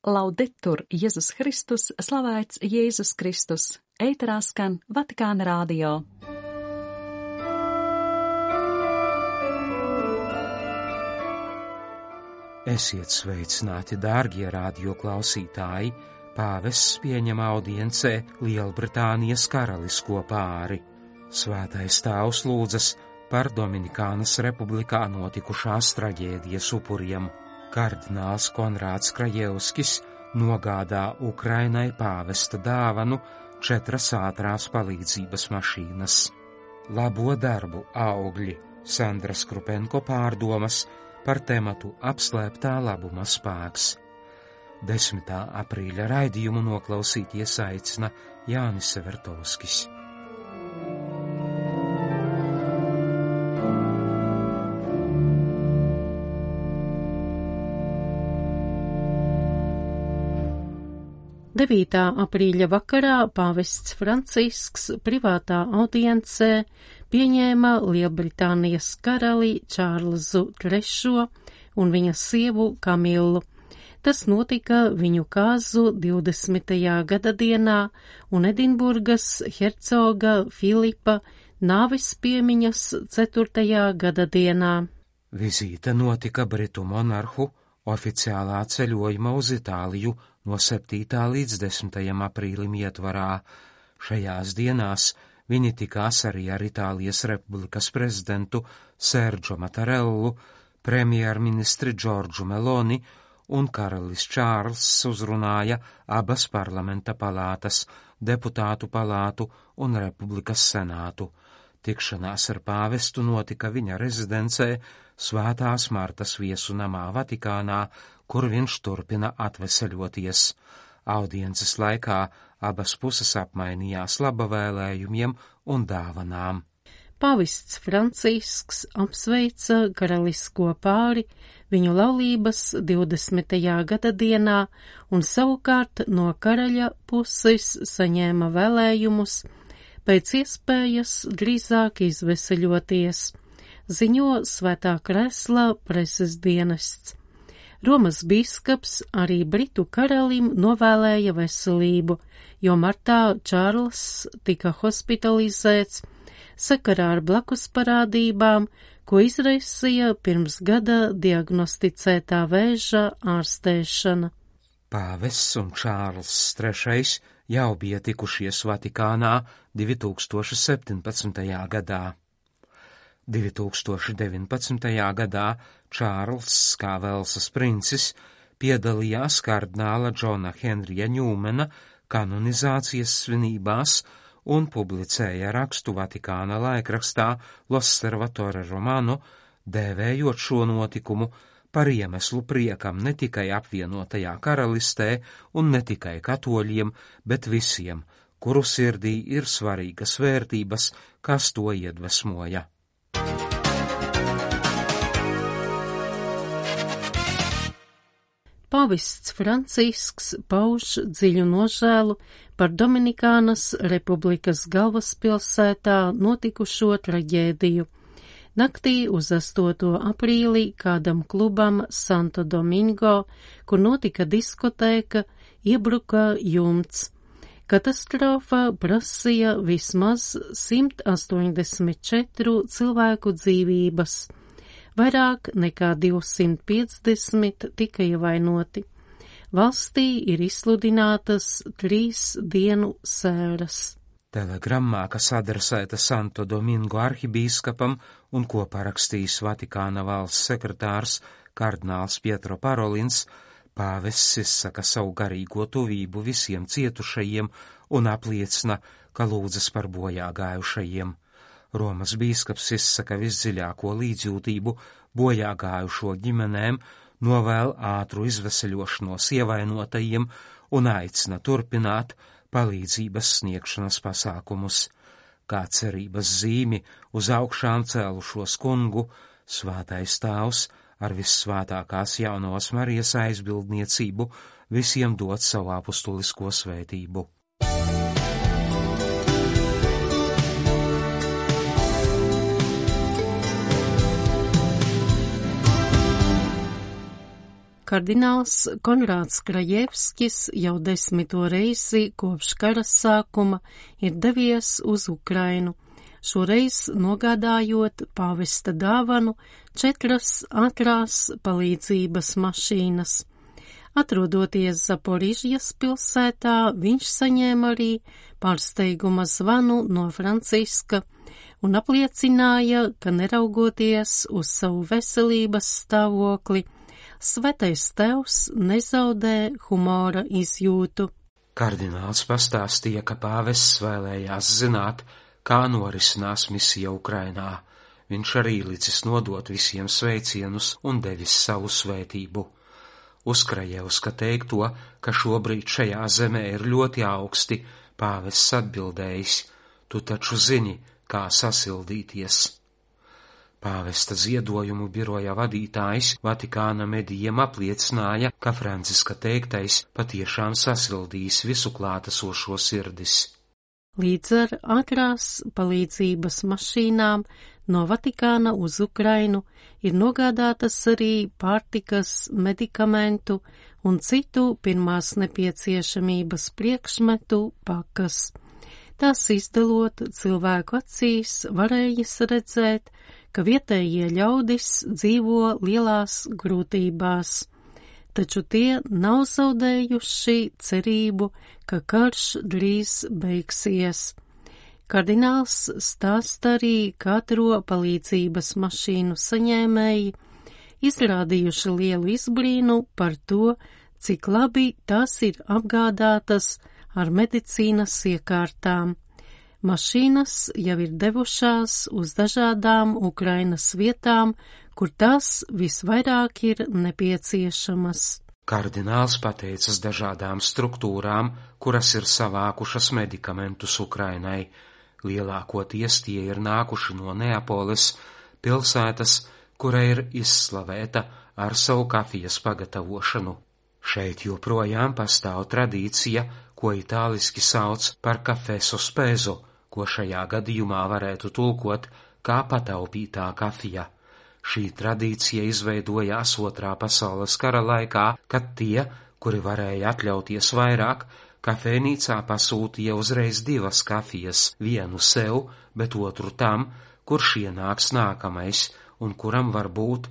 Laudetur Jēzus Kristus, slavēts Jēzus Kristus, ēterā skan Vatikāna radio. Esiet sveicināti, dārgie radio klausītāji! Pāvests pieņem audiencē Lielbritānijas karalisko pāri. Svētais tēvs lūdzas par Dominikānas republikā notikušās traģēdijas upuriem. Kardināls Konrāds Krajevskis nogādā Ukrainai pāvesta dāvanu 4 ātrās palīdzības mašīnas. Labo darbu augļi, Sandra Skrupenko pārdomas par tematu apslēptā labuma spēks. 10. aprīļa raidījumu noklausīties aicina Jānis Severtovskis. Devītā aprīļa vakarā pāvests Francisks privātā audiencē pieņēma Lielbritānijas karali Čārlzu III un viņa sievu Kamilu. Tas notika viņu kāzu 20. gada dienā un Edinburgas hercoga Filipa nāves piemiņas 4. gada dienā. Vizīte notika Britu monarhu oficiālā ceļojuma uz Itāliju no 7. līdz 10. aprīlim ietvarā. Šajās dienās viņi tikās arī ar Itālijas republikas prezidentu Sergio Mattarellu, premjerministri Džordžu Meloni, un karalis Čārls uzrunāja abas parlamenta palātas, deputātu palātu un republikas senātu. Tikšanās ar pāvestu notika viņa rezidencē Svētās Martas viesu namā Vatikānā, kur viņš turpina atveseļoties. Audiences laikā abas puses apmainījās labavēlējumiem un dāvanām. Pāvests Francisks apsveica karalisko pāri viņu laulības 20. gada dienā un savukārt no karaļa puses saņēma vēlējumus pēc iespējas drīzāk izveseļoties, ziņo Svētā Krēsla preses dienests. Romas bīskaps arī Britu karalim novēlēja veselību, jo martā Čārls tika hospitalizēts sakarā ar blakus parādībām, ko izraisīja pirms gada diagnosticētā vēža ārstēšana. Pāvests un Čārls III jau bija tikušies Vatikānā 2017. gadā. 2019. gadā Čārls, kā Velsas princis, piedalījās kardināla Džona Henrija Ņūmena kanonizācijas svinībās un publicēja rakstu Vatikāna laikrakstā L'Osservatore Romano, dēvējot šo notikumu par iemeslu priekam ne tikai apvienotajā karalistē un ne tikai katoļiem, bet visiem, kuru sirdī ir svarīgas vērtības, kas to iedvesmoja. Pāvests Francisks pauž dziļu nožēlu par Dominikānas republikas galvaspilsētā notikušo traģēdiju. Naktī uz 8. aprīlī kādam klubam Santo Domingo, kur notika diskotēka, iebruka jumts. Katastrofa prasīja vismaz 184 cilvēku dzīvības. Vairāk nekā 250 tika ievainoti. Valstī ir izsludinātas 3 dienu sēras. Telegrammā, kas adresēta Santo Domingo arhibīskapam un ko parakstījis Vatikāna valsts sekretārs kardināls Pietro Parolins, pāvests izsaka savu garīgo tuvību visiem cietušajiem un apliecina, ka lūdzas par bojā gājušajiem. Romas bīskaps izsaka visdziļāko līdzjūtību bojā gājušo ģimenēm, novēl ātru izveseļošanos ievainotajiem un aicina turpināt palīdzības sniegšanas pasākumus. Kā cerības zīmi uz augšām cēlušos kungu, Svētais Tēvs ar vissvētākās jaunās Marijas aizbildniecību visiem dod savu apustulisko svētību. Kardināls Konrāds Krajevskis jau 10. reizi kopš kara sākuma ir devies uz Ukrainu, šoreiz nogādājot pāvesta dāvanu 4 ātrās palīdzības mašīnas. Atrodoties Zaporižjas pilsētā, viņš saņēma arī pārsteiguma zvanu no Franciska un apliecināja, ka neraugoties uz savu veselības stāvokli, Svētais Tēvs nezaudē humora izjūtu. Kardināls pastāstīja, ka pāvests vēlējās zināt, kā norisinās misija Ukrainā. Viņš arī licis nodot visiem sveicienus un devis savu svētību. Uz Krajevska teikto, ka šobrīd šajā zemē ir ļoti augsti, pāvests atbildējis: tu taču zini, kā sasildīties. Pāvesta ziedojumu biroja vadītājs Vatikāna medijiem apliecināja, ka Franciska teiktais patiešām sasildīs visu klātesošo sirdis. Līdz ar ātrās palīdzības mašīnām no Vatikāna uz Ukrainu ir nogādātas arī pārtikas, medikamentu un citu pirmās nepieciešamības priekšmetu pakas. Tās izdalot cilvēku acīs varējas redzēt, ka vietējie ļaudis dzīvo lielās grūtībās, taču tie nav zaudējuši cerību, ka karš drīz beigsies. Kardināls stāsta arī, ka ātro palīdzības mašīnu saņēmēji izrādījuši lielu izbrīnu par to, cik labi tās ir apgādātas ar medicīnas iekārtām. Mašīnas jau ir devušās uz dažādām Ukrainas vietām, kur tās visvairāk ir nepieciešamas. Kardināls pateicas dažādām struktūrām, kuras ir savākušas medikamentus Ukrainai. Lielākoties tie ir nākuši no Neapoles, pilsētas, kura ir izslavēta ar savu kafijas pagatavošanu. Šeit joprojām pastāv tradīcija, ko itāliski sauc par kafē sospēzo, ko šajā gadījumā varētu tulkot kā pataupītā kafija. Šī tradīcija izveidojās 2. pasaules kara laikā, kad tie, kuri varēja atļauties vairāk, kafejnīcā pasūtīja uzreiz 2 kafijas, vienu sev, bet otru tam, kurš ienāks nākamais un kuram varbūt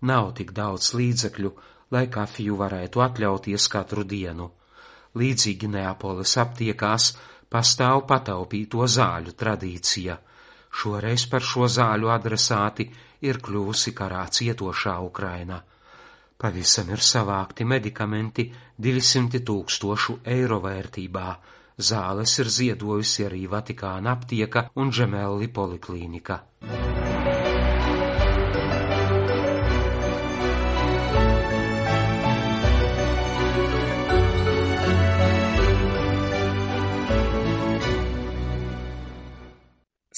nav tik daudz līdzekļu, lai kafiju varētu atļauties katru dienu. Līdzīgi Neapoles aptiekās pastāv pataupīto zāļu tradīcija. Šoreiz par šo zāļu adresāti ir kļuvusi karā cietošā Ukraina. Pavisam ir savākti medikamenti 200 000 eiro vērtībā. Zāles ir ziedojusi arī Vatikāna aptieka un Gemelli poliklīnika.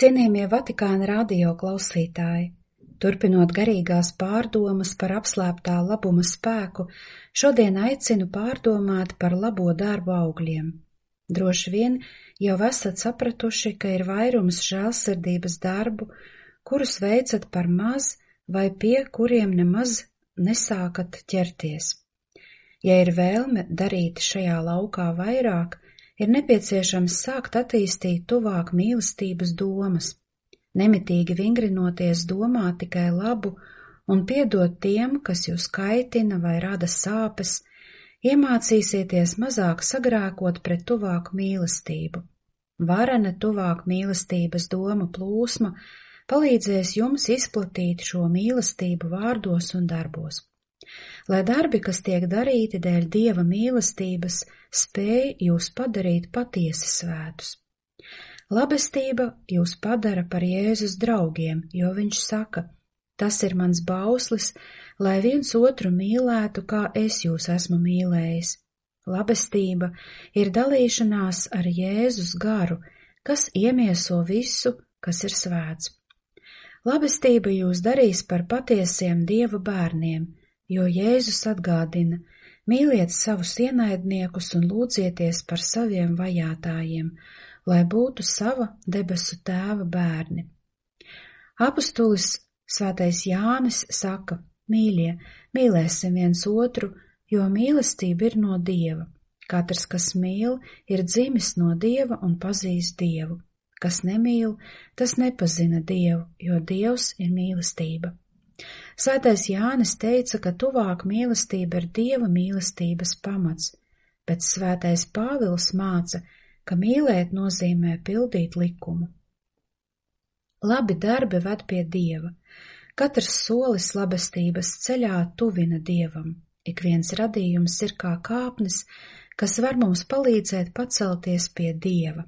Cienījamie Vatikāna radio klausītāji, turpinot garīgās pārdomas par apslēptā labuma spēku, šodien aicinu pārdomāt par labo darbu augļiem. Droši vien jau esat sapratuši, ka ir vairums žēlsirdības darbu, kurus veicat par maz vai pie kuriem nemaz nesākat ķerties. Ja ir vēlme darīt šajā laukā vairāk, ir nepieciešams sākt attīstīt tuvāk mīlestības domas, nemitīgi vingrinoties domāt tikai labu un piedot tiem, kas jūs kaitina vai rada sāpes, iemācīsieties mazāk sagrēkot pret tuvāku mīlestību. Varena tuvāk mīlestības doma plūsma palīdzēs jums izplatīt šo mīlestību vārdos un darbos. Lai darbi, kas tiek darīti dēļ Dieva mīlestības, spēj jūs padarīt patiesi svētus. Labestība jūs padara par Jēzus draugiem, jo viņš saka: tas ir mans bauslis, lai viens otru mīlētu, kā es jūs esmu mīlējis. Labestība ir dalīšanās ar Jēzus garu, kas iemieso visu, kas ir svēts. Labestība jūs darīs par patiesiem Dieva bērniem, jo Jēzus atgādina: mīliet savus ienaidniekus un lūdzieties par saviem vajātājiem, lai būtu sava debesu Tēva bērni. Apustulis Svētais Jānis saka: mīļie, mīlēsim viens otru, jo mīlestība ir no Dieva. Katrs, kas mīl, ir dzimis no Dieva un pazīst Dievu. Kas nemīl, tas nepazina Dievu, jo Dievs ir mīlestība. Svētais Jānis teica, ka tuvāk mīlestība ir Dieva mīlestības pamats, bet svētais Pāvils māca, ka mīlēt nozīmē pildīt likumu. Labi darbi ved pie Dieva. Katrs solis labestības ceļā tuvina Dievam. Ik viens radījums ir kā kāpnes, kas var mums palīdzēt pacelties pie Dieva.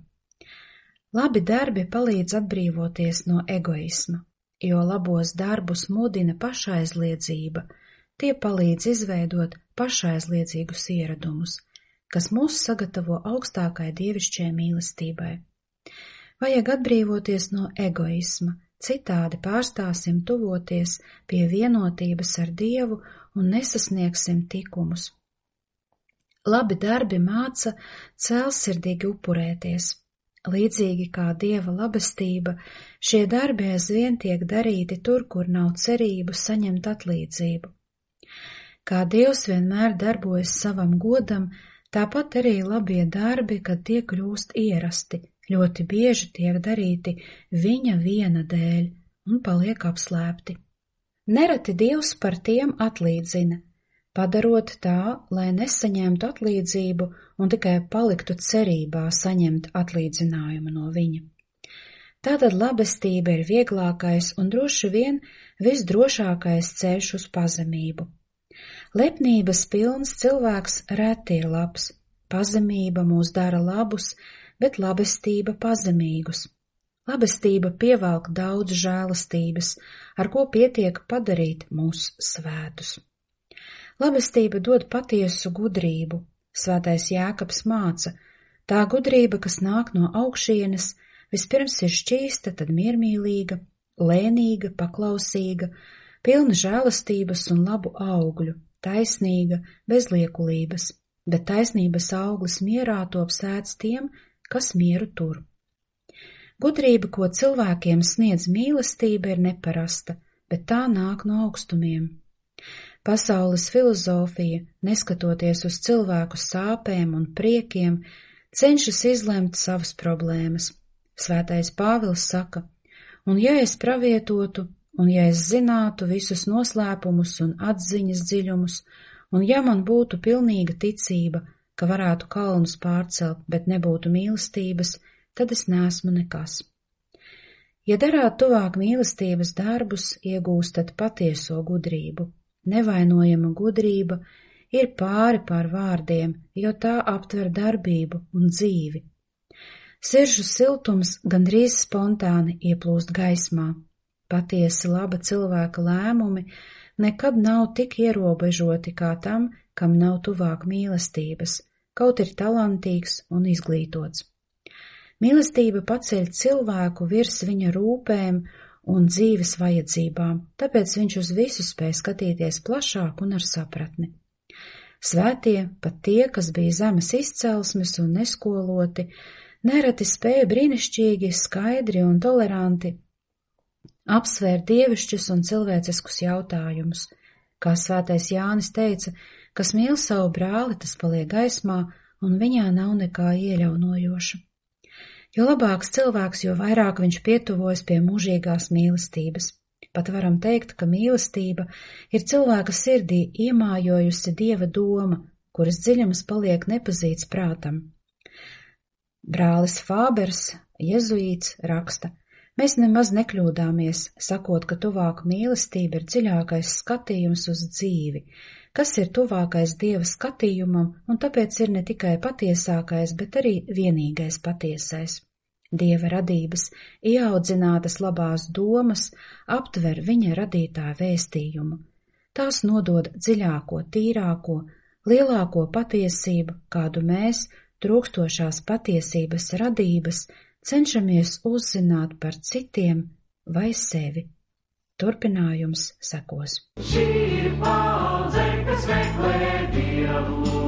Labi darbi palīdz atbrīvoties no egoisma, jo labos darbus mudina pašaizliedzība, tie palīdz izveidot pašaizliedzīgus ieradumus, kas mūs sagatavo augstākai dievišķai mīlestībai. Vajag atbrīvoties no egoisma, citādi pārstāsim tuvoties pie vienotības ar Dievu un nesasniegsim tikumus. Labi darbi māca cēlsirdīgi upurēties. Līdzīgi kā Dieva labestība, šie darbi aizvien tiek darīti tur, kur nav cerību saņemt atlīdzību. Kā Dievs vienmēr darbojas savam godam, tāpat arī labie darbi, kad tie kļūst ierasti, ļoti bieži tiek darīti viņa viena dēļ un paliek apslēpti. Nereti Dievs par tiem atlīdzina, padarot tā, lai nesaņemtu atlīdzību un tikai paliktu cerībā saņemt atlīdzinājumu no viņa. Tātad labestība ir vieglākais un droši vien visdrošākais ceļš uz pazemību. Lepnības pilns cilvēks reti ir labs, pazemība mūs dara labus, bet labestība pazemīgus. Labestība pievelk daudz žēlastības, ar ko pietiek padarīt mūs svētus. Labestība dod patiesu gudrību. Svētais Jēkabs māca, tā gudrība, kas nāk no augšienes, vispirms ir šķīsta, tad miermīlīga, lēnīga, paklausīga, pilna žēlastības un labu augļu, taisnīga, bez liekulības, bet taisnības auglis mierā top sēts tiem, kas mieru tur. Gudrība, ko cilvēkiem sniedz mīlestība, ir neparasta, bet tā nāk no augstumiem. Pasaules filozofija, neskatoties uz cilvēku sāpēm un priekiem, cenšas izlemt savas problēmas. Svētais Pāvils saka, un ja es pravietotu, un ja es zinātu visus noslēpumus un atziņas dziļumus, un ja man būtu pilnīga ticība, ka varētu kalnus pārcelt, bet nebūtu mīlestības, tad es neesmu nekas. Ja darāt tuvāk mīlestības darbus, iegūstat patieso gudrību. Nevainojama gudrība ir pāri pār vārdiem, jo tā aptver darbību un dzīvi. Siržu siltums gandrīz spontāni ieplūst gaismā. Patiesi laba cilvēka lēmumi nekad nav tik ierobežoti kā tam, kam nav tuvāk mīlestības, kaut ir talantīgs un izglītots. Mīlestība paceļ cilvēku virs viņa rūpēm un dzīves vajadzībām, tāpēc viņš uz visu spēj skatīties plašāk un ar sapratni. Svētie, pat tie, kas bija zemes izcelsmes un neskoloti, nereti spēja brīnišķīgi, skaidri un toleranti apsvērt dievišķus un cilvēciskus jautājumus. Kā svētais Jānis teica, kas mīl savu brāli, tas paliek gaismā, un viņā nav nekā ieļaunojoša. Jo labāks cilvēks, jo vairāk viņš pietuvojas pie mūžīgās mīlestības. Pat varam teikt, ka mīlestība ir cilvēka sirdī iemājojusi Dieva doma, kuras dziļums paliek nepazīts prātam. Brālis Fābers, jezuīts, raksta, mēs nemaz nekļūdāmies, sakot, ka tuvāk mīlestība ir dziļākais skatījums uz dzīvi, kas ir tuvākais Dieva skatījumam, un tāpēc ir ne tikai patiesākais, bet arī vienīgais patiesais. Dieva radības, ieaudzinātas labās domas, aptver viņa radītāja vēstījumu. Tās nodod dziļāko, tīrāko, lielāko patiesību, kādu mēs, trūkstošās patiesības radības, cenšamies uzzināt par citiem vai sevi. Turpinājums sekos. Šī ir paudze, kas meklē Dievu.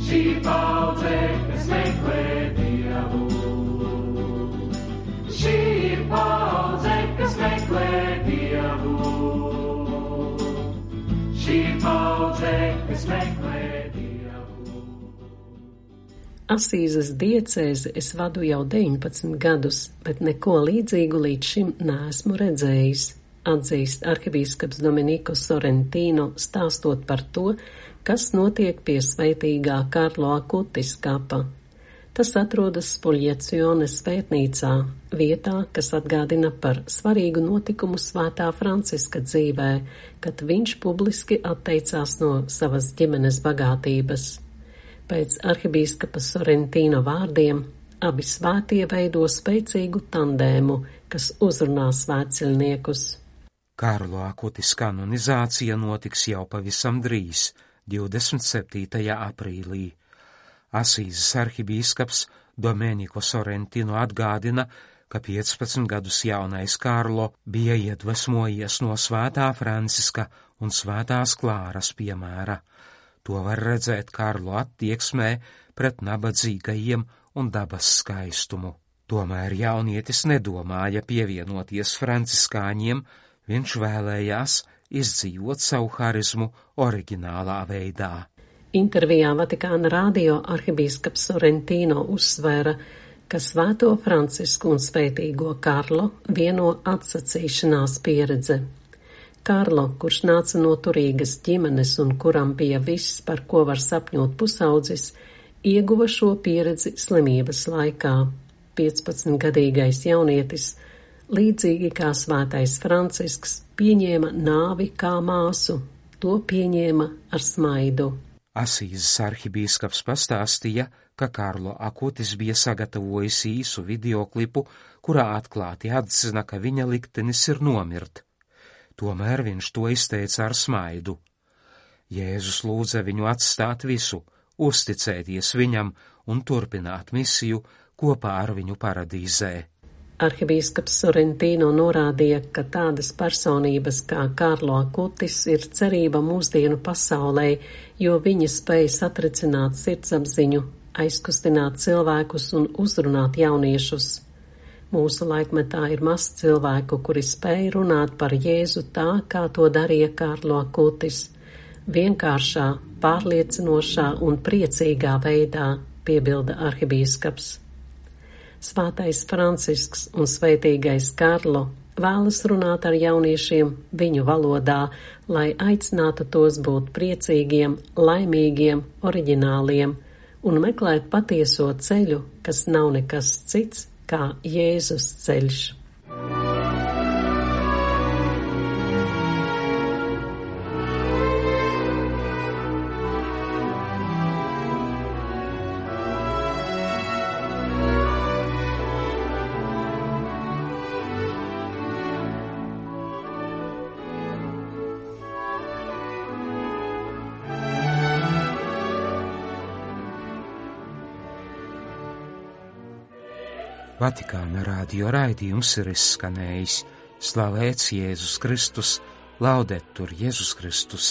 Šī paudze, kas meklē Dievu. Šī ir paudze, kas meklē Dievu. Šī ir paudze. meklē Dievu. Asīzes diecēzi es vadu jau 19 gadus, bet neko līdzīgu līdz šim neesmu redzējis, atzīst arhibīskaps Domenico Sorrentino, stāstot par to, kas notiek pie svētīgā Karlo Akutis kapa. Tas atrodas Spuljacione svētnīcā, vietā, kas atgādina par svarīgu notikumu svētā Franciska dzīvē, kad viņš publiski atteicās no savas ģimenes bagātības. Pēc arhibīskapa Sorrentino vārdiem, abi svētie veido spēcīgu tandēmu, kas uzrunā svētceļniekus. Karlo Akutis kanonizācija notiks jau pavisam drīz, 27. aprīlī. Asīzes arhibīskaps Domenico Sorrentino atgādina, ka 15 gadus jaunais Karlo bija iedvesmojies no svētā Franciska un svētās Klāras piemēra. To var redzēt Karlo attieksmē pret nabadzīgajiem un dabas skaistumu. Tomēr jaunietis nedomāja pievienoties franciskāņiem, viņš vēlējās izdzīvot savu harizmu oriģinālā veidā. Intervijā Vatikāna radio arhibīskaps Sorrentino uzsvēra, ka svēto Francisku un svētīgo Karlo vieno atsacīšanās pieredze. Karlo, kurš nāca no turīgas ģimenes un kuram bija viss, par ko var sapņot pusaudzis, ieguva šo pieredzi slimības laikā. 15-gadīgais jaunietis, līdzīgi kā svētais Francisks, pieņēma nāvi kā māsu, to pieņēma ar smaidu. Asīzes arhibīskaps pastāstīja, ka Karlo Akutis bija sagatavojis īsu videoklipu, kurā atklāti atzina, ka viņa liktenis ir nomirt. Tomēr viņš to izteica ar smaidu. Jēzus lūdza viņu atstāt visu, uzticēties viņam un turpināt misiju kopā ar viņu paradīzē. Arhibīskaps Sorrentino norādīja, ka tādas personības kā Karlo Akutis ir cerība mūsdienu pasaulē, jo viņi spēj satricināt sirdsapziņu, aizkustināt cilvēkus un uzrunāt jauniešus. Mūsu laikmetā ir maz cilvēku, kuri spēj runāt par Jēzu tā, kā to darīja Karlo Akutis. Vienkāršā, pārliecinošā un priecīgā veidā, piebilda arhibīskaps. Svētais Francisks un svētīgais Karlo vēlas runāt ar jauniešiem viņu valodā, lai aicinātu tos būt priecīgiem, laimīgiem, oriģināliem un meklēt patieso ceļu, kas nav nekas cits kā Jēzus ceļš. Vatikāna radio raidījums ir izskanējis. Slavēts Jēzus Kristus, laudetur Jēzus Kristus.